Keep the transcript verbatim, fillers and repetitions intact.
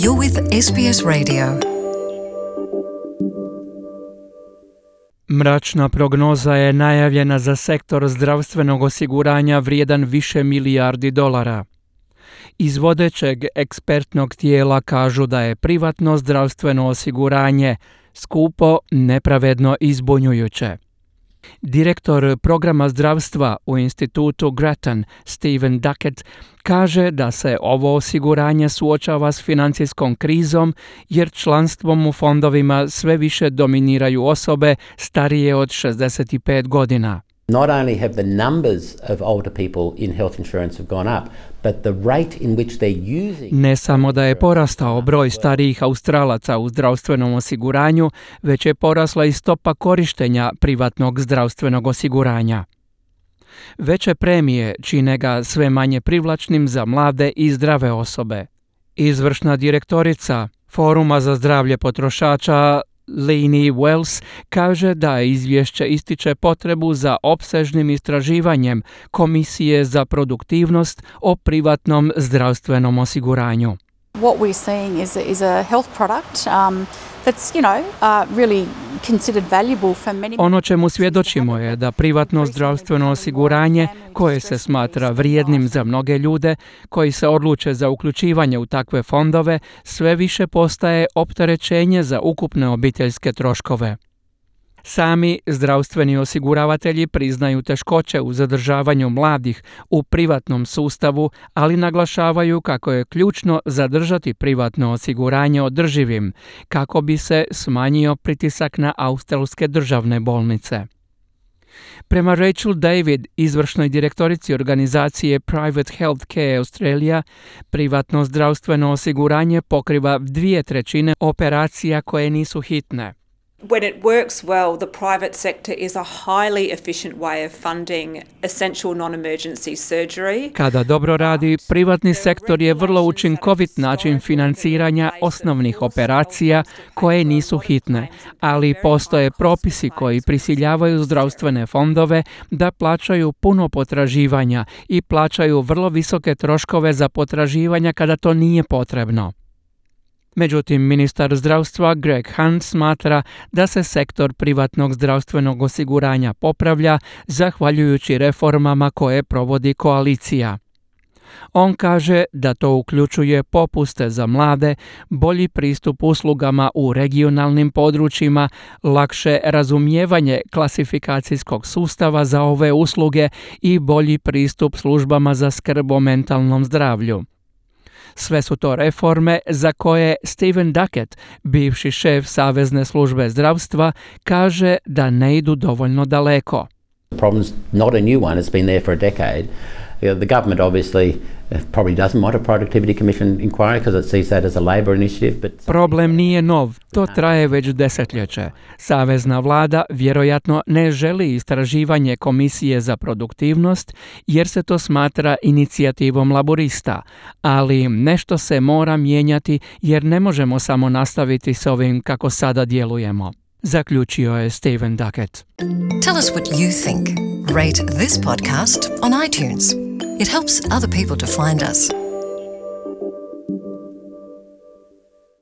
You're with S B S Radio. Mračna prognoza je najavljena za sektor zdravstvenog osiguranja vrijedan više milijardi dolara. Iz vodećeg ekspertnog tijela kažu da je privatno zdravstveno osiguranje skupo, nepravedno i zbunjujuće. Direktor programa zdravstva u institutu Grattan, Stephen Duckett, kaže da se ovo osiguranje suočava s financijskom krizom jer članstvom u fondovima sve više dominiraju osobe starije od šezdeset pet godina. Not only have the numbers of older people in health insurance have gone up, but the rate in which they're using... Ne samo da je porastao broj starijih Australaca u zdravstvenom osiguranju, već je porasla i stopa korištenja privatnog zdravstvenog osiguranja. Veće premije čine ga sve manje privlačnim za mlade i zdrave osobe. Izvršna direktorica Foruma za zdravlje potrošača Lainey Wells kaže da izvješće ističe potrebu za opsežnim istraživanjem Komisije za produktivnost o privatnom zdravstvenom osiguranju. What we're seeing is a, is a health product um, that's, you know, uh, really considered valuable for many. Ono čemu svjedočimo je da privatno zdravstveno osiguranje, koje se smatra vrijednim za mnoge ljude koji se odluče za uključivanje u takve fondove, sve više postaje opterećenje za ukupne obiteljske troškove. Sami zdravstveni osiguravatelji priznaju teškoće u zadržavanju mladih u privatnom sustavu, ali naglašavaju kako je ključno zadržati privatno osiguranje održivim, kako bi se smanjio pritisak na australske državne bolnice. Prema Rachel David, izvršnoj direktorici organizacije Private Healthcare Australia, privatno zdravstveno osiguranje pokriva dvije trećine operacija koje nisu hitne. When it works well, the private sector is a highly efficient way of funding essential non-emergency surgery. Kada dobro radi, privatni sektor je vrlo učinkovit način financiranja osnovnih operacija koje nisu hitne, ali postoje propisi koji prisiljavaju zdravstvene fondove da plaćaju puno potraživanja i plaćaju vrlo visoke troškove za potraživanja kada to nije potrebno. Međutim, ministar zdravstva Greg Hunt smatra da se sektor privatnog zdravstvenog osiguranja popravlja zahvaljujući reformama koje provodi koalicija. On kaže da to uključuje popuste za mlade, bolji pristup uslugama u regionalnim područjima, lakše razumijevanje klasifikacijskog sustava za ove usluge i bolji pristup službama za skrb o mentalnom zdravlju. Sve su to reforme za koje Stephen Duckett, bivši šef Savezne službe zdravstva, kaže da ne idu dovoljno daleko. The problem's not a new one, it's been there for a decade. The government obviously probably doesn't want a productivity commission inquiry because it sees that as a labor initiative. But Problem nije nov, to traje već desetljeće. Savezna vlada vjerojatno ne želi istraživanje Komisije za produktivnost jer se to smatra inicijativom laborista, ali nešto se mora mijenjati jer ne možemo samo nastaviti s ovim kako sada djelujemo. Zaključio je Stephen Duckett. Tell us what you think. Rate this podcast on iTunes. It helps other people to find us.